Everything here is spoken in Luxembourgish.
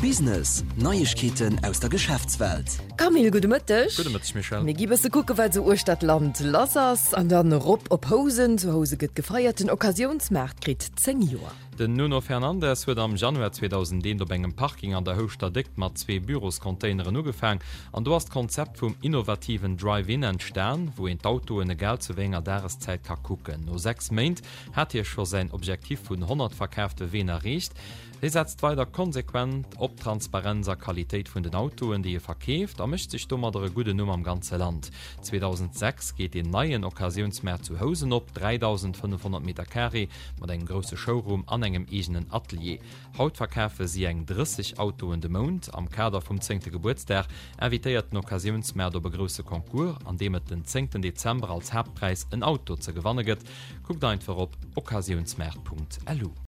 Business, Neiegkeeten aus der Geschäftswelt. Camille, gudde Mëtteg. Gudde Mëtteg, Michèle. Mir gi bësse kucke wat esou uechter d'Land lass ass an dann erop op Housen. Zu Housen gëtt gefeiert, den Occasiounsmaart kritt 10 Joer. Den Nuno Fernandes huet am Januar 2001 op engem Parking an der Houschter Déckt mat zwee Büroscontaineren ugefaang an do ass d'Konzept vum innovativen Drive-In entstan, wou een d'Autoen egal zu wéi enger Dageszäit ka kucken. No 6 Méint hat hie scho säin Objektif vun 100 verkaafte Ween erreecht. Hie setzt weider konsequent op Transparenz a Qualitéit vun den Autoen, déi e verkeeft a mécht sech domadder e gudden Numm am ganze Land. 2006 geet een neien Occasiounsmaart zu Housen op, 3.500 Meter Carré mat engem grousse Showroom an engem eegenen Atelier. Haut verkafe si eng 30 Autoen de Mount. Am Kader vum zéngte Gebuertsdag invitéiert den Occasiounsmaart op e grousse Concours, an deem et den zéngten Dezember als Haaptpräis en Auto ze gewanne gëtt. Kuckt einfach op occasiounsmaart.lu.